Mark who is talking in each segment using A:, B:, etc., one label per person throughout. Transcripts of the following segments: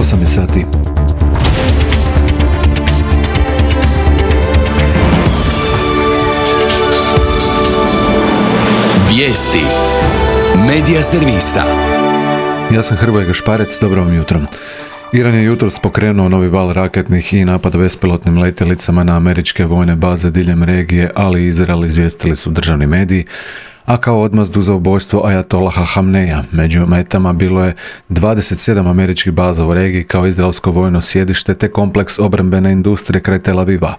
A: 8 sati.
B: Vijesti Medija servisa.
A: Ja sam Hrvoje Gašparec, dobro vam jutro. Iran je jutros pokrenuo novi val raketnih i napada bespilotnim letjelicama na američke vojne baze diljem regije, ali i Izrael, izvijestili su državni mediji, a kao odmazdu za ubojstvo Ajatolaha Hamneja. Među metama bilo je 27 američkih baza u regiji kao izraelsko vojno sjedište te kompleks obrambene industrije kraj Tel Aviva.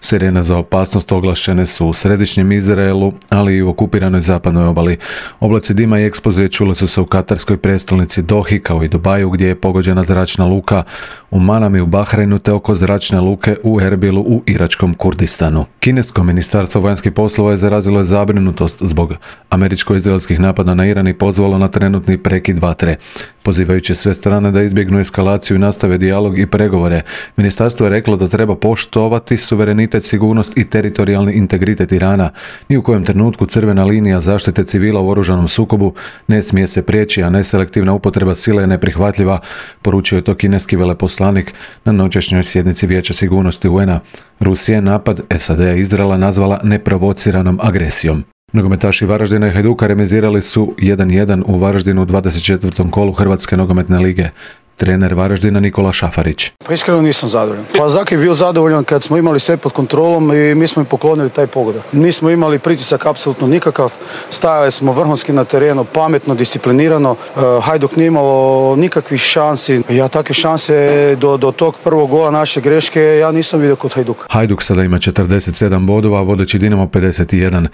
A: Sirene za opasnost oglašene su u središnjem Izraelu, ali i u okupiranoj zapadnoj obali. Oblaci dima i eksplozije čule su se u katarskoj prijestolnici Dohi, kao i Dubaju, gdje je pogođena zračna luka, u Manami u Bahreinu te oko zračne luke u Erbilu u iračkom Kurdistanu. Kinesko ministarstvo vanjskih poslova je zarazilo zabrinutost zbog američko-izraelskih napada na Iran i pozvalo na trenutni prekid vatre. Pozivajući sve strane da izbjegnu eskalaciju i nastave dijalog i pregovore, ministarstvo je reklo da treba poštovati suverenitet, sigurnost i teritorijalni integritet Irana. Ni u kojem trenutku crvena linija zaštite civila u oružanom sukobu ne smije se prijeći, a neselektivna upotreba sile je neprihvatljiva, poručio je to kineski veleposlanik na noćašnjoj sjednici Vijeća sigurnosti UN-a. Rusija je napad SAD-a i Izraela nazvala neprovociranom agresijom. Nogometaši Varaždina i Hajduka remizirali su 1:1 u Varaždinu u 24. kolu Hrvatske nogometne lige. Trener Varaždina Nikola Šafarić.
C: Pa iskreno nisam zadovoljan. Pa Zaki je bio zadovoljan kad smo imali sve pod kontrolom i mi smo im poklonili taj pogodak. Nismo imali pritisak apsolutno nikakav, stajali smo vrhunski na terenu, pametno, disciplinirano. Hajduk nije imalo nikakvih šansi. Ja takve šanse do tog prvog gola naše greške ja nisam vidio kod Hajduka.
A: Hajduk sada ima 47 bodova, vodeći Dinamo 51,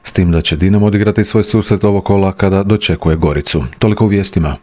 A: s tim da će Dinamo odigrati svoj susret ovog kola kada dočekuje Goricu. Toliko u vijestima.